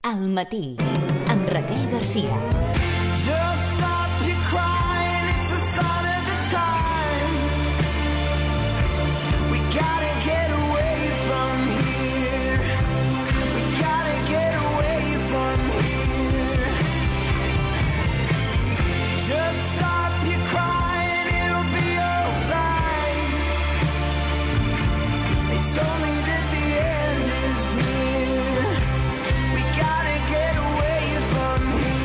Al matí, amb Raquel Garcia. Just stop your crying, it's a sign of the times. We gotta get away from here. We gotta get away from here. Just stop your crying, it'll be alright. It's only that the end is near. We gotta get away from here.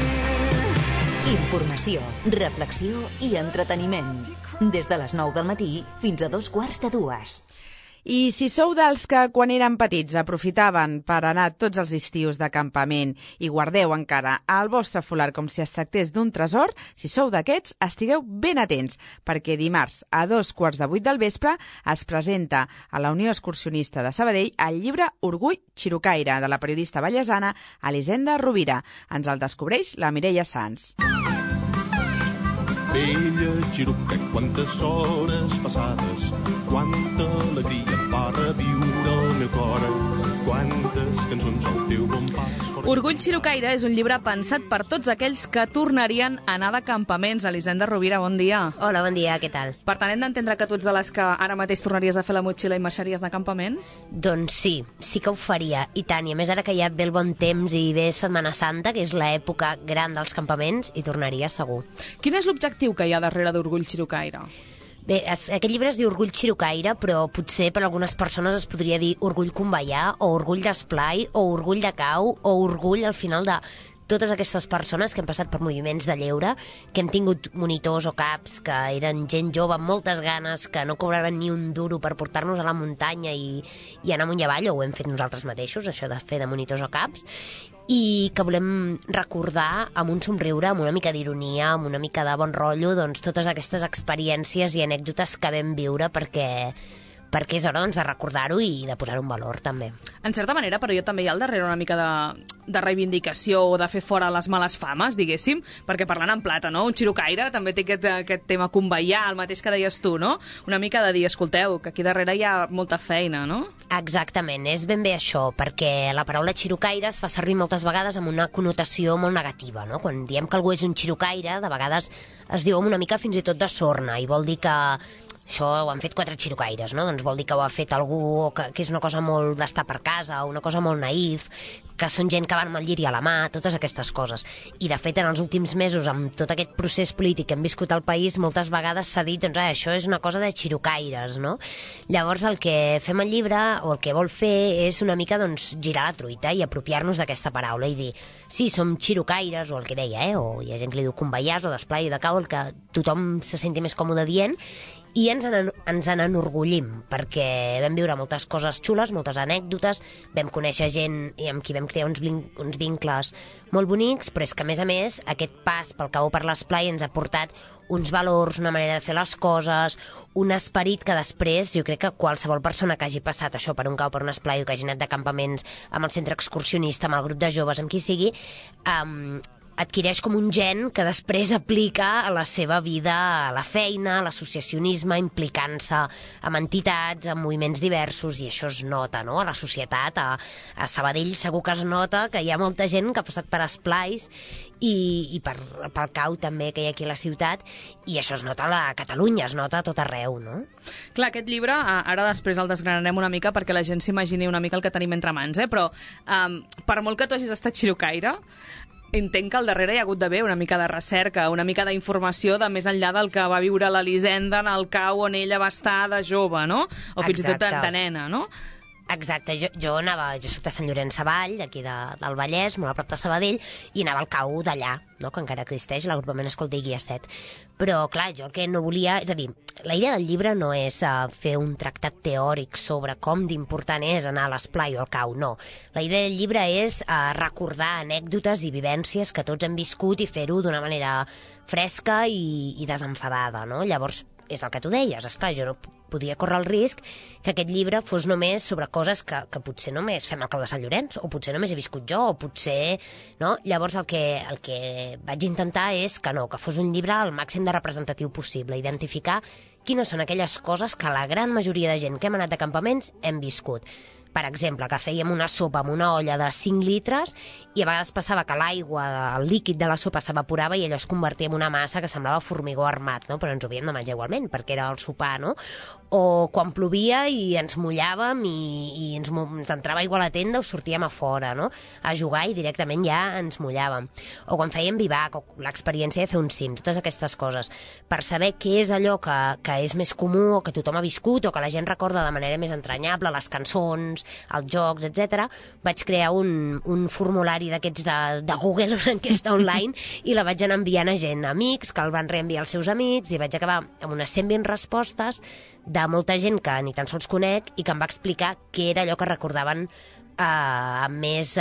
Informació, reflexió i entreteniment. Des de les 9 del matí fins a 2:15. I si sou dels que quan eren petits aprofitaven per anar tots els estius de campament i guardeu encara el vostre folar com si es tractés d'un tresor, si sou d'aquests, estigueu ben atents, perquè dimarts a 2:15 del vespre es presenta a la Unió Excursionista de Sabadell el llibre Orgull Xirocaire, de la periodista vallesana Elisenda Rovira. Ens el descobreix la Mireia Sans. Vella Xiroca, quantes hores passades, quanta alegria va reviure el meu cor, quantes cançons al teu bon pas. Orgull Xirocaire és un llibre pensat per tots aquells que tornarien a anar de campaments. Elisenda Rovira, bon dia. Hola, bon dia, què tal? Per tant, hem d'entendre que tu ets de les que ara mateix tornaries a fer la motxilla i marxaries de campament? Doncs sí que ho faria, i tant. I a més, ara que ja ve el bon temps i ve Setmana Santa, que és l'època gran dels campaments, hi tornaria segur. Quin és l'objectiu que hi ha darrere d'Orgull Xirocaire? Bé, aquest llibre es diu Orgull Xirocaire, però potser per algunes persones es podria dir Orgull Convallà, o Orgull d'Esplai, o Orgull de Cau, o Orgull al final de totes aquestes persones que han passat per moviments de lleure, que hem tingut monitors o caps, que eren gent jove amb moltes ganes, que no cobraven ni un duro per portar-nos a la muntanya i anar amunt i avall, o ho hem fet nosaltres mateixos, això de fer de monitors o caps, i que volem recordar amb un somriure, amb una mica d'ironia, amb una mica de bon rotllo, doncs totes aquestes experiències i anècdotes que vam viure perquè és hora doncs, de recordar-ho i de posar-ho en valor, també. En certa manera, però jo també hi ha al darrere una mica de reivindicació o de fer fora les males fames, diguéssim, perquè parlant en plata, no? Un xirocaire també té aquest tema convallà, el mateix que deies tu, no? Una mica de dir, escolteu, que aquí darrere hi ha molta feina, no? Exactament, és ben bé això, perquè la paraula xirocaire es fa servir moltes vegades amb una connotació molt negativa, no? Quan diem que algú és un xirocaire, de vegades es diu una mica fins i tot de sorna, i vol dir que això ho han fet 4 xirocaires, no? Doncs vol dir que ho ha fet algú que és una cosa molt d'estar per casa, una cosa molt naïf, que són gent que van amb el lliri a la mà, totes aquestes coses. I, de fet, en els últims mesos, amb tot aquest procés polític que hem viscut al país, moltes vegades s'ha dit, doncs, això és una cosa de xirocaires, no? Llavors, el que fem al llibre, o el que vol fer, és una mica, doncs, girar la truita i apropiar-nos d'aquesta paraula i dir, sí, som xirocaires, o el que deia, o hi ha gent que li diu convallars, o d'esplai, o de cau, el que tothom se senti més còmode dient, i ens n'enorgullim, perquè vam viure moltes coses xules, moltes anècdotes, vam conèixer gent amb qui vam crear uns vincles molt bonics, però és que, a més, aquest pas pel cau per l'esplai ens ha portat uns valors, una manera de fer les coses, un esperit que després, jo crec que qualsevol persona que hagi passat això per un cau, per un esplai, o que hagi anat de campaments amb el centre excursionista, amb el grup de joves, amb qui sigui, adquireix com un gen que després aplica a la seva vida, a la feina, a l'associacionisme, implicant-se amb entitats, amb moviments diversos, i això es nota, no?, a la societat. A Sabadell segur que es nota que hi ha molta gent que ha passat per esplais i pel cau també que hi ha aquí a la ciutat, i això es nota a Catalunya, es nota a tot arreu, no? Clar, aquest llibre, ara després el desgranarem una mica perquè la gent s'imagini una mica el que tenim entre mans, però per molt que tu hagis estat xirocaire, entenc que al darrere hi ha hagut d'haver una mica de recerca, una mica d'informació de més enllà del que va viure l'Elisenda en el cau on ella va estar de jove, no? O fins i tot de nena, no? Exacte, jo soc de Sant Llorenç Savall, d'aquí del Vallès, molt a prop de Sabadell, i anava al cau d'allà, no?, que encara existeix, l'agrupament Escolta i Guia 7. Però, clar, jo el que no volia... És a dir, la idea del llibre no és fer un tractat teòric sobre com d'important és anar a l'esplai o al cau, no. La idea del llibre és recordar anècdotes i vivències que tots hem viscut i fer-ho d'una manera fresca i desenfadada, no? Llavors, és el que tu deies, esclar, jo no podia córrer el risc que aquest llibre fos només sobre coses que potser només fem al cau de Sant Llorenç, o potser només he viscut jo, o potser... no? Llavors el que vaig intentar és que no, que fos un llibre el màxim de representatiu possible, identificar quines són aquelles coses que la gran majoria de gent que hem anat de campaments hem viscut. Per exemple, que fèiem una sopa amb una olla de 5 litres i a vegades passava que l'aigua, el líquid de la sopa s'evaporava i allò es convertia en una massa que semblava formigó armat, no? Però ens ho havíem de menjar igualment, perquè era el sopar, no? O quan plovia i ens mullàvem i ens entrava aigua a la tenda o sortíem a fora, no? A jugar i directament ja ens mullàvem. O quan fèiem vivac, o l'experiència de fer un cim, totes aquestes coses. Per saber què és allò que és més comú o que tothom ha viscut o que la gent recorda de manera més entranyable, les cançons, els jocs, etc. Vaig crear un formulari d'aquests de Google, una enquesta online, i la vaig anar enviant a gent, amics, que el van reenviar als seus amics, i vaig acabar amb unes 120 respostes de molta gent que ni tan sols conec i que em va explicar què era allò que recordaven amb més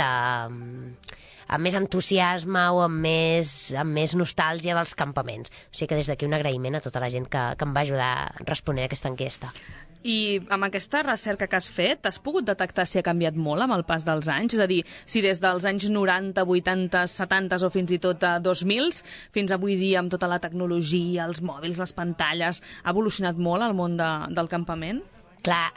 entusiasme o amb més nostàlgia dels campaments. O sigui que des d'aquí un agraïment a tota la gent que em va ajudar responent a aquesta enquesta. I amb aquesta recerca que has fet, has pogut detectar si ha canviat molt amb el pas dels anys? És a dir, si des dels anys 90, 80, 70 o fins i tot 2000 fins avui dia amb tota la tecnologia, els mòbils, les pantalles, ha evolucionat molt el món del campament? Clar,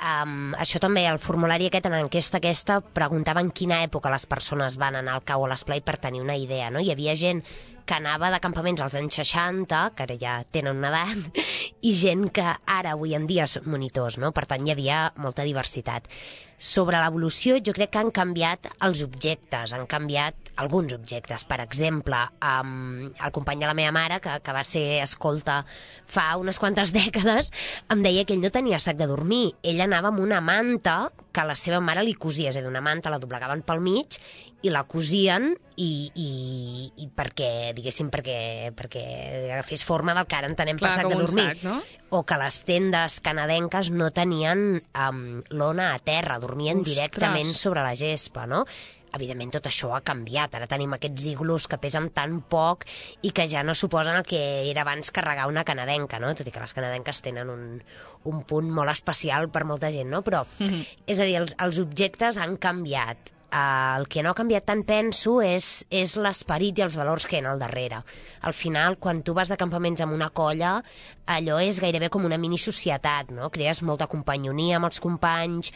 això també, el formulari aquest, en l'enquesta aquesta, preguntava en quina època les persones van anar al cau o a l'esplai per tenir una idea, no? Hi havia gent que anava de campaments als anys 60, que ara ja tenen una edat, i gent que ara, avui en dia, són monitors, no? Per tant, hi havia molta diversitat. Sobre l'evolució, jo crec que han canviat els objectes, han canviat alguns objectes. Per exemple, el company de la meva mare, que va ser escolta fa unes quantes dècades, em deia que ell no tenia sac de dormir. Ell anava amb una manta que la seva mare li cosia, és a dir, una manta la doblegaven pel mig i la cosien i perquè, diguéssim, perquè agafés forma del que ara entenem per sac de dormir. Sac, no? O que les tendes canadenques no tenien lona a terra, dormien directament sobre la gespa, no? Evidentment, tot això ha canviat. Ara tenim aquests iglús que pesen tan poc i que ja no suposen el que era abans carregar una canadenca, no? Tot i que les canadenques tenen un punt molt especial per molta gent, no? Però, és a dir, els objectes han canviat. El que no ha canviat tant, penso, és l'esperit i els valors que hi ha al darrere. Al final, quan tu vas de campaments amb una colla, allò és gairebé com una mini-societat, no? Crees molta companyonia amb els companys,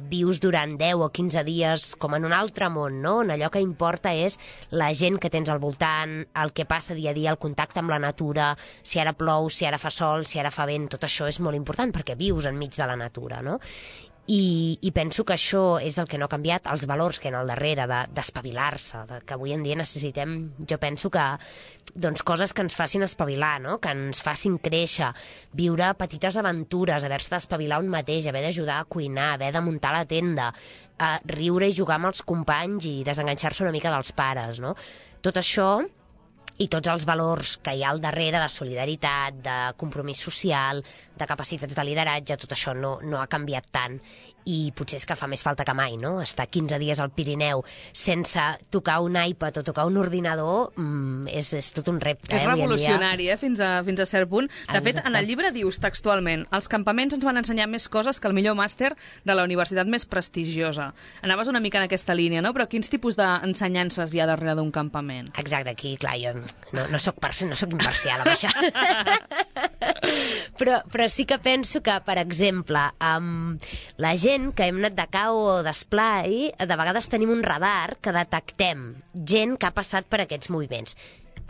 vius durant 10 o 15 dies com en un altre món, no? On allò que importa és la gent que tens al voltant, el que passa dia a dia, el contacte amb la natura, si ara plou, si ara fa sol, si ara fa vent, tot això és molt important perquè vius enmig de la natura, no? I penso que això és el que no ha canviat, els valors que hi ha al darrere, d'espavilar-se, que avui en dia necessitem, jo penso que, doncs, coses que ens facin espavilar, no? Que ens facin créixer, viure petites aventures, haver-se d'espavilar un mateix, haver d'ajudar a cuinar, haver de muntar la tenda, riure i jugar amb els companys i desenganxar-se una mica dels pares, no? Tot això i tots els valors que hi ha al darrere de solidaritat, de compromís social, de capacitats de lideratge, tot això no ha canviat tant i potser és que fa més falta que mai, no? Estar 15 dies al Pirineu sense tocar un iPad o tocar un ordinador és tot un repte. És revolucionari, fins a cert punt. De fet, en el llibre dius textualment: els campaments ens van ensenyar més coses que el millor màster de la universitat més prestigiosa. Anaves una mica en aquesta línia, no? Però quins tipus d'ensenyances hi ha darrere d'un campament? Exacte, aquí, clar, jo no soc imparcial amb això. Però sí que penso que, per exemple, la gent que hem anat de cau o d'esplai, de vegades tenim un radar que detectem gent que ha passat per aquests moviments.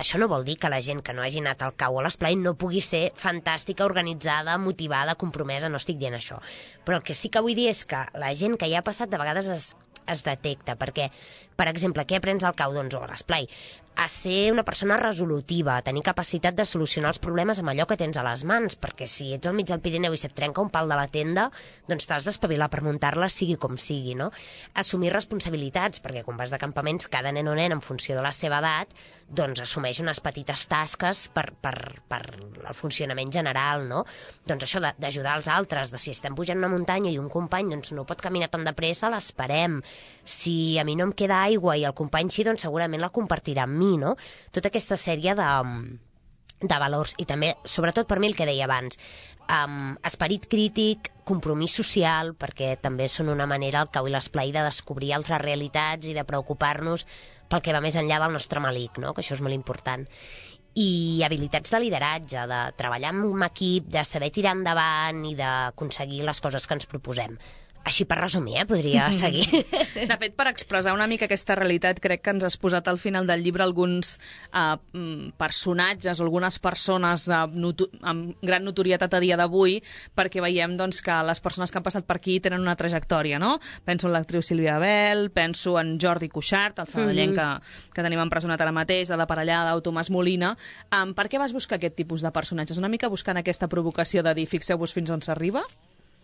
Això no vol dir que la gent que no hagi anat al cau o a l'esplai no pugui ser fantàstica, organitzada, motivada, compromesa, no estic dient això. Però el que sí que vull dir és que la gent que hi ha passat de vegades es detecta, perquè, per exemple, què aprens al cau, doncs, o a l'esplai? A ser una persona resolutiva, a tenir capacitat de solucionar els problemes amb allò que tens a les mans, perquè si ets al mig del Pirineu i se't trenca un pal de la tenda, doncs t'has d'espavilar per muntar-la sigui com sigui, no? Assumir responsabilitats, perquè quan vas de campaments, cada nen o nen, en funció de la seva edat, doncs assumeix unes petites tasques per el funcionament general, no? Doncs això d'ajudar els altres, de si estem pujant una muntanya i un company doncs no pot caminar tan de pressa, l'esperem. Si a mi no em queda aigua i el company sí, doncs segurament la compartirà amb mi, no? Tota aquesta sèrie de valors i també, sobretot per mi el que deia abans, esperit crític, compromís social, perquè també són una manera, el cau i l'esplai, de descobrir altres realitats i de preocupar-nos pel que va més enllà del nostre malic, no? Que això és molt important. I habilitats de lideratge, de treballar en equip, de saber tirar endavant i d'aconseguir les coses que ens proposem. Així per resumir, podria seguir. De fet, per expressar una mica aquesta realitat, crec que ens has posat al final del llibre alguns personatges o algunes persones amb gran notorietat a dia d'avui, perquè veiem doncs, que les persones que han passat per aquí tenen una trajectòria, no? Penso en l'actriu Sílvia Bel, penso en Jordi Cuixart, el sabadellenc que tenim empresonat ara mateix, de la parellada, o Tomàs Molina. Per què vas buscar aquest tipus de personatges? Una mica buscant aquesta provocació de dir fixeu-vos fins on s'arriba?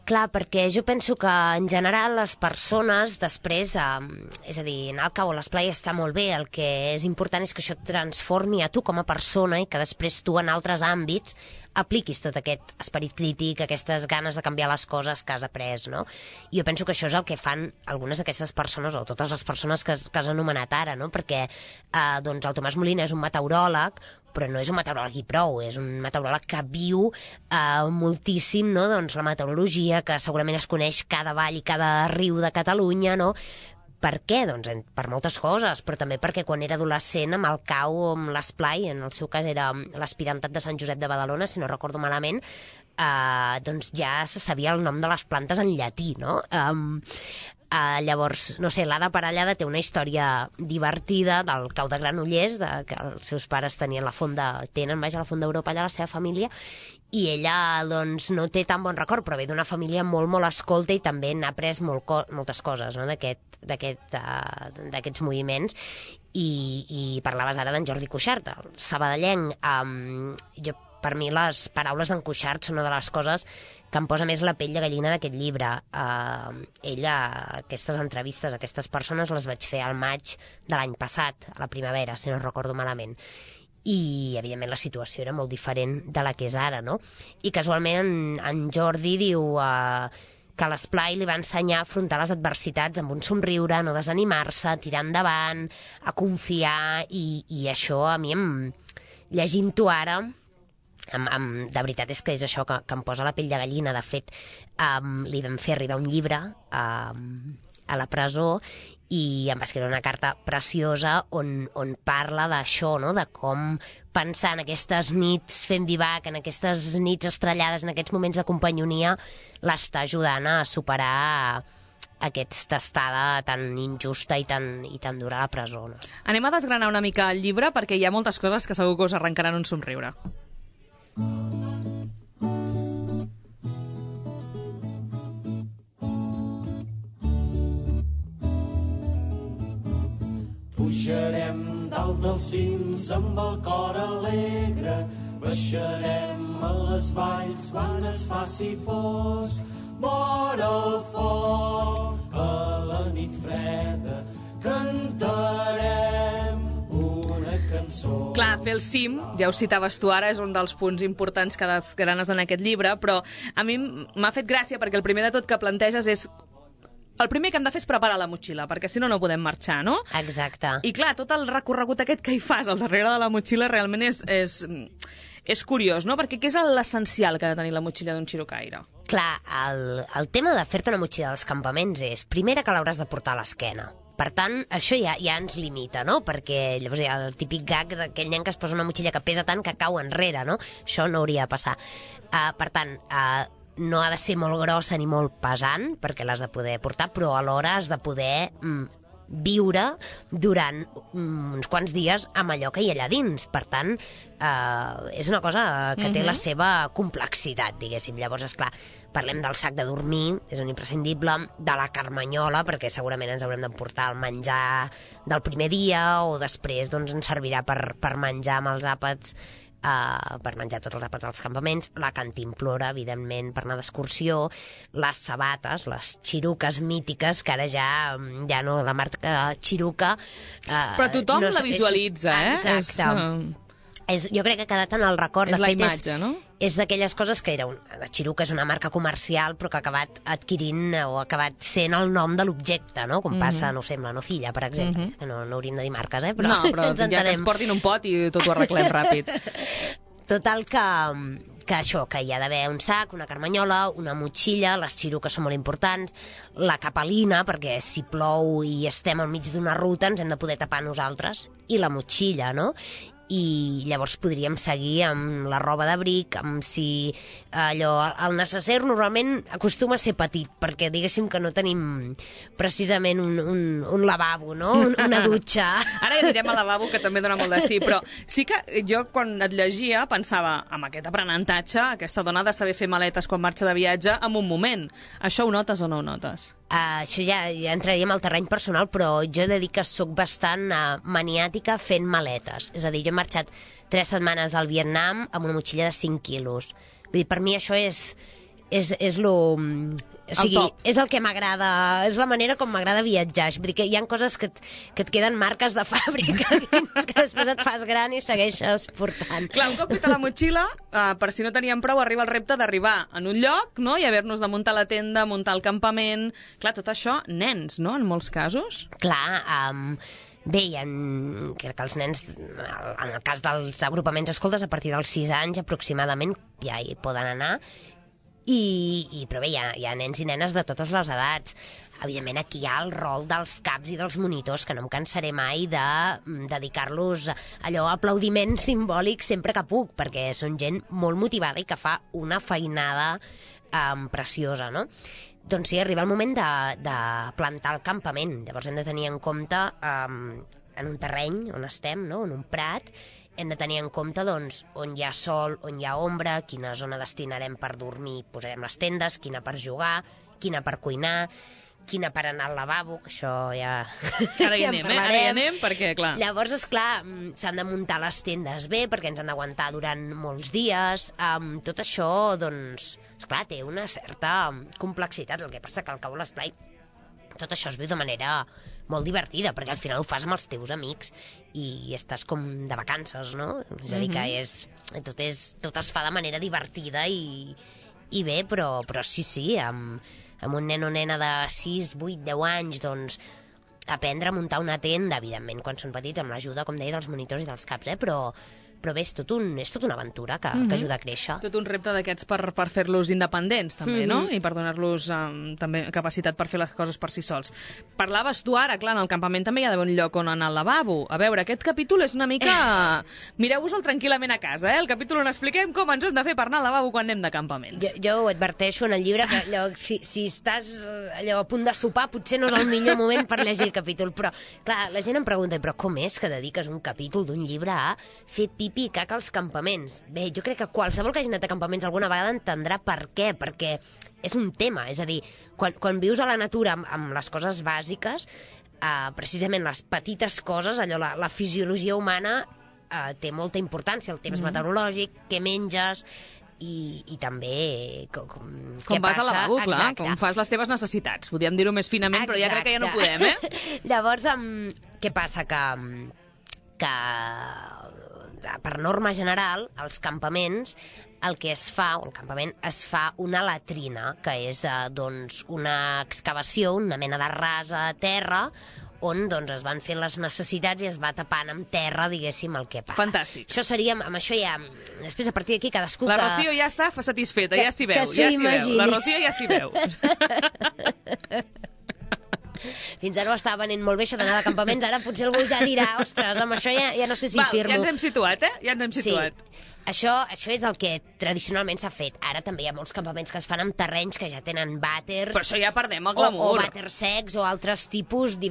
Clar, perquè jo penso que en general les persones després, és a dir, anar al cau o l'esplai està molt bé, el que és important és que això et transformi a tu com a persona i que després tu en altres àmbits apliquis tot aquest esperit crític, aquestes ganes de canviar les coses que has après, no? I jo penso que això és el que fan algunes d'aquestes persones, o totes les persones que has anomenat ara, no? Perquè doncs el Tomàs Molina és un meteoròleg, però no és un meteoròleg i prou, és un meteoròleg que viu moltíssim, no? Doncs la meteorologia, que segurament es coneix cada vall i cada riu de Catalunya, no? Per què? Doncs per moltes coses, però també perquè quan era adolescent amb el cau o amb l'esplai, en el seu cas era l'Aspirantat de Sant Josep de Badalona, si no recordo malament, doncs ja se sabia el nom de les plantes en llatí, no? Llavors, no sé, l'Ada Parellada té una història divertida del cau de Granollers, que els seus pares tenen la font d'Europa allà, la seva família, i ella doncs no té tan bon record, però ve d'una família molt, molt escolta i també n'ha après moltes coses, no? d'aquests moviments. I parlaves ara d'en Jordi Cuixart, el sabadellenc. Per mi les paraules d'en Cuixart són una de les coses que em posa més la pell de gallina d'aquest llibre. Ella, aquestes entrevistes, aquestes persones les vaig fer al maig de l'any passat, a la primavera, si no recordo malament. I, evidentment, la situació era molt diferent de la que és ara, no? I casualment en Jordi diu que a l'esplai li va ensenyar a afrontar les adversitats amb un somriure, no desanimar-se, tirar endavant, a confiar, i això a mi, llegint-ho ara, de veritat és que és això que em posa la pell de gallina. De fet, li vam fer arribar un llibre a la presó i em va escriure una carta preciosa on parla d'això, no? De com pensar en aquestes nits fent vivac, en aquestes nits estrellades, en aquests moments de companyonia, l'està ajudant a superar aquesta estada tan injusta i tan dura a la presó. No? Anem a desgranar una mica el llibre perquè hi ha moltes coses que segur que us arrencaran un somriure. Pujarem dalt dels cims amb el cor alegre, baixarem a les valls quan es faci fosc. Mor el foc a la nit freda, cantarem una cançó. Clar, fer el cim, ja ho citaves tu ara, és un dels punts importants que desgranes en aquest llibre, però a mi m'ha fet gràcia perquè el primer de tot que planteges és el primer que hem de fer és preparar la motxilla, perquè si no, no podem marxar, no? Exacte. I clar, tot el recorregut aquest que hi fas al darrere de la motxilla realment és curiós, no? Perquè què és l'essencial que ha de tenir la motxilla d'un xirocaire? Clar, el tema de fer-te una motxilla als campaments és, primera, que l'hauràs de portar a l'esquena. Per tant, això ja ens limita, no? Perquè llavors hi ha el típic gag d'aquell nen que es posa una motxilla que pesa tant que cau enrere, no? Això no hauria de passar. Per tant, no ha de ser molt grossa ni molt pesant, perquè l'has de poder portar, però alhora has de poder viure durant uns quants dies amb allò que hi ha allà dins. Per tant, és una cosa que té la seva complexitat, diguéssim. Llavors, esclar, parlem del sac de dormir, és un imprescindible, de la carmanyola, perquè segurament ens haurem d'emportar el menjar del primer dia, o després doncs, ens servirà per menjar amb els àpats, per menjar tots els àpats dels campaments, la cantimplora, evidentment, per anar d'excursió, les sabates, les xiruques mítiques, que ara ja no, la marca xiruca... Però tothom la visualitza, Exacte. Jo crec que ha quedat en el record. És la imatge, no? És d'aquelles coses que la Xiruca és una marca comercial, però que ha acabat adquirint o ha acabat sent el nom de l'objecte, no? Com passa, no sé, amb la Nocilla, per exemple. Que no hauríem de dir marques, però... No, però ja que ens portin un pot i tot ho arreglem ràpid. Total que això, que hi ha d'haver un sac, una carmanyola, una motxilla, les xiruques són molt importants, la capelina, perquè si plou i estem al mig d'una ruta ens hem de poder tapar nosaltres, i la motxilla, no? i llavors podríem seguir amb la roba d'abric, amb si allò, el necesser normalment acostuma a ser petit, perquè diguéssim que no tenim precisament un lavabo, no? Una dutxa. Ara ja anirem al lavabo, que també dona molt de sí, però sí que jo quan et llegia pensava, amb aquest aprenentatge, aquesta dona ha de saber fer maletes quan marxa de viatge en un moment. Això ho notes o no ho notes? Això ja entraríem al terreny personal, però jo he de dir que sóc bastant maniàtica fent maletes. És a dir, jo he marxat 3 setmanes al Vietnam amb una motxilla de 5 quilos. Vull dir, per mi això és el que m'agrada, és la manera com m'agrada viatjar. Vull dir que hi ha coses que et queden marques de fàbrica que després et fas gran i segueixes portant. Clar, un cop feta la motxilla, per si no teníem prou, arriba el repte d'arribar en un lloc, no?, i haver-nos de muntar la tenda, muntar el campament. Clar, tot això, nens, no?, en molts casos. Clar, bé, crec que els nens, en el cas dels agrupaments escoltes, a partir dels 6 anys aproximadament ja hi poden anar, però bé, hi ha nens i nenes de totes les edats. Evidentment, aquí hi ha el rol dels caps i dels monitors, que no em cansaré mai de dedicar-los allò aplaudiment simbòlic sempre que puc, perquè són gent molt motivada i que fa una feinada preciosa, no? Doncs sí, arriba el moment de plantar el campament. Llavors hem de tenir en compte, en un terreny on estem, no?, en un prat, hem de tenir en compte doncs, on hi ha sol, on hi ha ombra, quina zona destinarem per dormir, posarem les tendes, quina per jugar, quina per cuinar, quina per anar al lavabo, que això ja... Ara hi anem, Ara hi anem, perquè, clar... Llavors, esclar, s'han de muntar les tendes bé, perquè ens han d'aguantar durant molts dies. Tot això, doncs, esclar, té una certa complexitat. El que passa que al cabo de l'esplai tot això es viu de manera molt divertida, perquè al final ho fas amb els teus amics i estàs com de vacances, no? És a dir, que tot es fa de manera divertida i bé, però sí, amb un nen o nena de 6, 8, 10 anys, doncs, aprendre a muntar una tenda, evidentment, quan són petits, amb l'ajuda, com deia, dels monitors i dels caps, però bé, és tot una aventura que ajuda a créixer. Tot un repte d'aquests per fer-los independents, també, no? I per donar-los també capacitat per fer les coses per si sols. Parlaves tu ara, clar, en el campament també hi ha d'haver un lloc on anar al lavabo. A veure, aquest capítol és una mica... Mireu-vos-el tranquil·lament a casa, el capítol on expliquem com ens hem de fer per anar al lavabo quan anem de campaments. Jo ho adverteixo en el llibre, que allò, si estàs allò, a punt de sopar, potser no és el millor moment per llegir el capítol, però, clar, la gent em pregunta, però com és que dediques un capítol d'un llibre a fer pipi i caca als campaments? Bé, jo crec que qualsevol que hagi anat a campaments alguna vegada entendrà per què, perquè és un tema, és a dir, quan vius a la natura amb les coses bàsiques, precisament les petites coses, allò, la fisiologia humana té molta importància, el temps meteorològic, què menges, i també com vas al lavabo, clar, com fas les teves necessitats. Podríem dir-ho més finament, però ja crec que ja no podem, Llavors, què passa? Que per norma general, als campaments, el que es fa, o al campament, es fa una latrina, que és doncs, una excavació, una mena de rasa a terra, on doncs, es van fent les necessitats i es va tapant amb terra, diguéssim, el que passa. Fantàstic. Això seria, amb això ja... Després, a partir d'aquí, cadascú... La Rocío ja està satisfeta, ja s'hi veu, ja s'hi veu. La Rocío ja s'hi veu. Fins ara ho estava venent molt bé, això d'anar de campaments, ara potser algú ja dirà, ostres, amb això ja no sé si firmo. Ja ens hem situat, Ja ens hem situat. Sí. Això és el que tradicionalment s'ha fet. Ara també hi ha molts campaments que es fan amb terrenys que ja tenen vàters... Però això ja perdem el glamour. O vàters secs o altres tipus, hi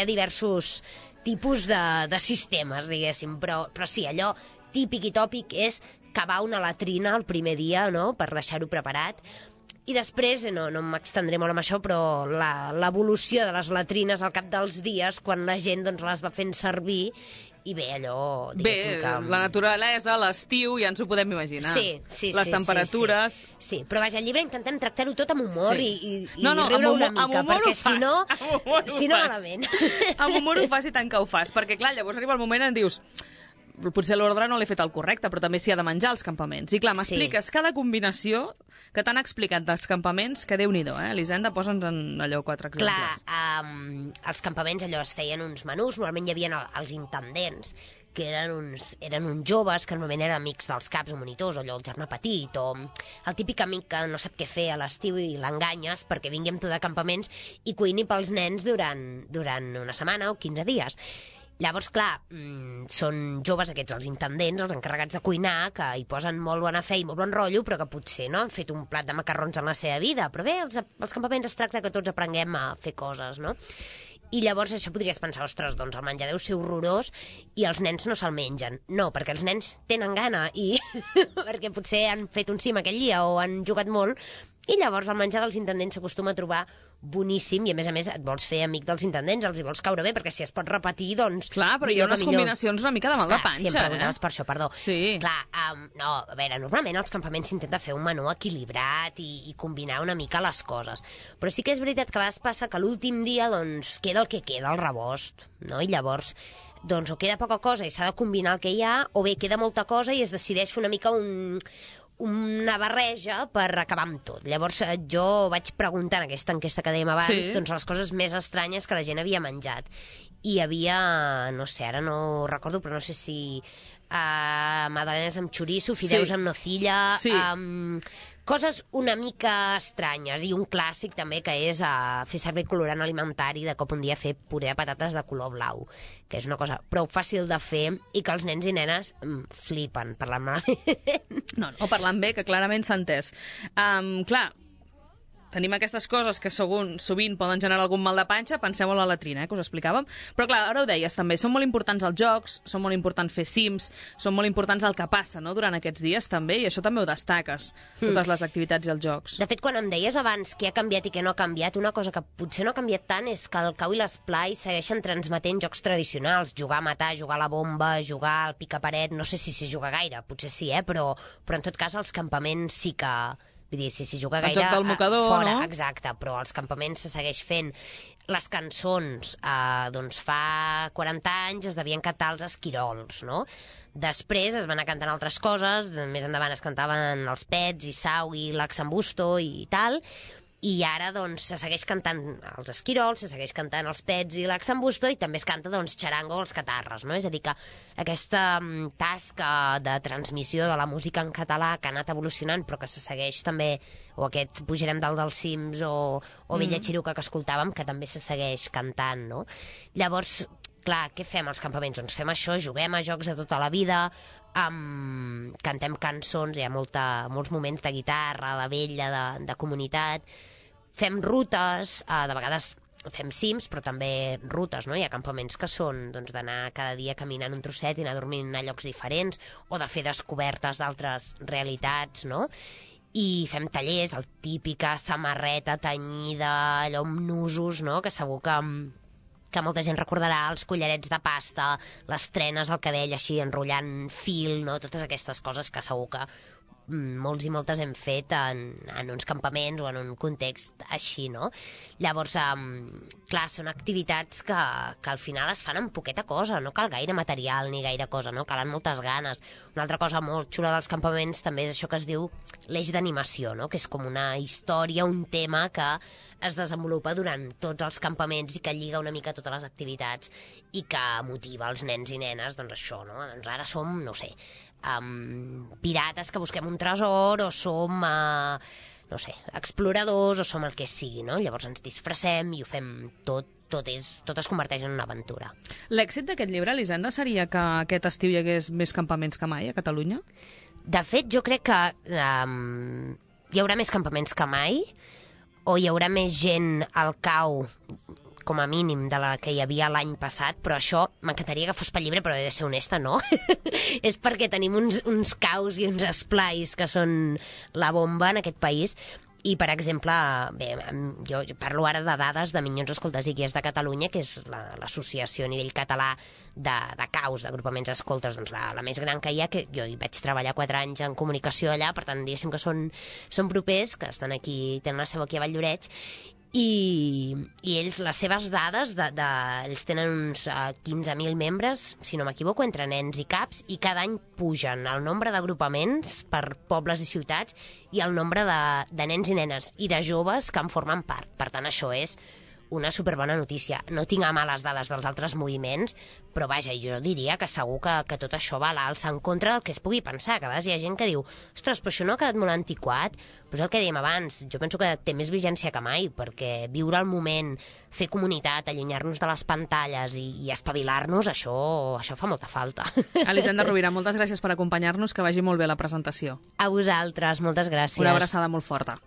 ha diversos tipus de sistemes, diguéssim. Però sí, allò típic i tòpic és cavar una latrina el primer dia, no?, per deixar-ho preparat. I després, no m'extendré molt amb això, però l'evolució de les latrines al cap dels dies, quan la gent doncs, les va fent servir, i bé, allò... Bé, la naturalesa, l'estiu, ja ens ho podem imaginar. Sí. Les temperatures... Sí, però vaja, al llibre intentem tractar-ho tot amb humor i amb riure una mica, perquè si no malament. Amb humor ho fas i tant que ho fas, perquè clar, llavors arriba el moment en dius... Potser l'ordre no l'he fet el correcte, però també s'hi ha de menjar als campaments. I clar, m'expliques cada combinació que t'han explicat dels campaments, que Déu-n'hi-do, Elisenda, posa'ns en allò 4 exemples. Clar, als campaments allò es feien uns menús, normalment hi havia els intendents, que eren uns joves que normalment eren amics dels caps o monitors, o allò el germà petit, o el típic amic que no sap què fer a l'estiu i l'enganyes perquè vingui amb tu de campaments i cuini pels nens durant una setmana o 15 dies. Llavors, clar, són joves aquests, els intendents, els encarregats de cuinar, que hi posen molt bona fe i molt bon rotllo, però que potser no han fet un plat de macarrons en la seva vida. Però bé, els campaments es tracta que tots aprenguem a fer coses, no? I llavors això podries pensar, ostres, doncs el menjar deu ser horrorós i els nens no se'l mengen. No, perquè els nens tenen gana i perquè potser han fet un cim aquell dia o han jugat molt, i llavors el menjar dels intendents s'acostuma a trobar boníssim i a més et vols fer amic dels intendents, els hi vols caure bé, perquè si es pot repetir, doncs... Clar, però hi ha unes combinacions una mica de mal de panxa, sí, em preguntaves per això, perdó. Sí. Clar, no, a veure, normalment als campaments s'intenta fer un menú equilibrat i combinar una mica les coses. Però sí que és veritat que a vegades passa que l'últim dia, doncs, queda el que queda, el rebost, no? I llavors, doncs, o queda poca cosa i s'ha de combinar el que hi ha, o bé queda molta cosa i es decideix fer una mica una barreja per acabar amb tot. Llavors jo vaig preguntar en aquesta enquesta que dèiem abans, doncs les coses més estranyes que la gent havia menjat. I hi havia, no sé, ara no recordo, però no sé si magdalenes amb xoriço, fideus amb nocilla, coses una mica estranyes, i un clàssic també que és fer servir colorant alimentari, de cop un dia fer puré de patates de color blau, que és una cosa prou fàcil de fer i que els nens i nenes flipen parlant malament. No, parlant bé, que clarament s'ha entès. Clar, tenim aquestes coses que sovint poden generar algun mal de panxa, penseu en la latrina, que us explicàvem, però clar, ara ho deies també, són molt importants els jocs, són molt importants fer cims, són molt importants el que passa, no?, durant aquests dies també, i això també ho destaques, totes les activitats i els jocs. De fet, quan em deies abans què ha canviat i què no ha canviat, una cosa que potser no ha canviat tant és que el cau i l'esplai segueixen transmetent jocs tradicionals, jugar a matar, jugar a la bomba, jugar al picaparet, no sé si s'hi juga gaire, potser sí, però en tot cas els campaments sí que... Vull dir, si juga gaire... El joc del mocador, fora, no? Exacte, però als campaments se segueix fent. Les cançons, doncs fa 40 anys es devien cantar els esquirols, no? Després es van anar cantant altres coses, més endavant es cantaven els Pets i Sau i l'Axambusto i tal, i ara doncs se segueix cantant els esquirols, se segueix cantant els Pets i l'Axambusto, i també es canta doncs xarango o els catarres, no? És a dir, que aquesta tasca de transmissió de la música en català que ha anat evolucionant, però que se segueix també, o aquest Pujarem dalt dels cims o Vella Xiruca que escoltàvem, que també se segueix cantant, no? Llavors, clar, què fem als campaments? Doncs fem això, juguem a jocs de tota la vida, cantem cançons, hi ha molts moments de guitarra, de vella, de comunitat, fem rutes, de vegades fem cims, però també rutes, no? Hi ha campaments que són doncs, d'anar cada dia caminant un trosset i anar dormint a llocs diferents, o de fer descobertes d'altres realitats, no? I fem tallers, el típica samarreta tenyida, allò amb nusos, no? Que segur que molta gent recordarà, els collarets de pasta, les trenes al cabell així enrotllant fil, no? Totes aquestes coses que segur que molts i moltes hem fet en uns campaments o en un context així, no? Llavors, clar, són activitats que al final es fan amb poqueta cosa, no cal gaire material ni gaire cosa, no? Calen moltes ganes. Una altra cosa molt xula dels campaments també és això que es diu l'eix d'animació, no? Que és com una història, un tema que es desenvolupa durant tots els campaments i que lliga una mica totes les activitats i que motiva els nens i nenes, doncs això, no? Doncs ara som, no sé, pirates que busquem un tresor, o som, no sé, exploradors, o som el que sigui, no? Llavors ens disfressem i ho fem tot es converteix en una aventura. L'èxit d'aquest llibre, Elisenda, seria que aquest estiu hi hagués més campaments que mai a Catalunya? De fet, jo crec que hi haurà més campaments que mai, o hi haurà més gent al cau, com a mínim, de la que hi havia l'any passat, però això m'encantaria que fos pel llibre, però he de ser honesta, no. És perquè tenim uns caus i uns esplais que són la bomba en aquest país. I, per exemple, bé, jo parlo ara de dades de Minyons Escoltes i Guies de Catalunya, que és l'associació a nivell català de caus, d'agrupaments escoltes, doncs la més gran que hi ha, que jo hi vaig treballar 4 anys en comunicació allà, per tant, diguéssim que són propers, que estan aquí, tenen la seu aquí a Valldoreix, i ells, les seves dades, ells tenen uns 15.000 membres, si no m'equivoco, entre nens i caps, i cada any pugen el nombre d'agrupaments per pobles i ciutats i el nombre de nens i nenes i de joves que en formen part. Per tant, això és una superbona notícia. No tinc a mà les dades dels altres moviments, però vaja, jo diria que segur que tot això va a l'alça en contra del que es pugui pensar. Que a vegades hi ha gent que diu, ostres, però això no ha quedat molt antiquat? Però és el que dèiem abans, jo penso que té més vigència que mai, perquè viure el moment, fer comunitat, allunyar-nos de les pantalles i espavilar-nos, això fa molta falta. Elisenda Rovira, moltes gràcies per acompanyar-nos, que vagi molt bé la presentació. A vosaltres, moltes gràcies. Una abraçada molt forta.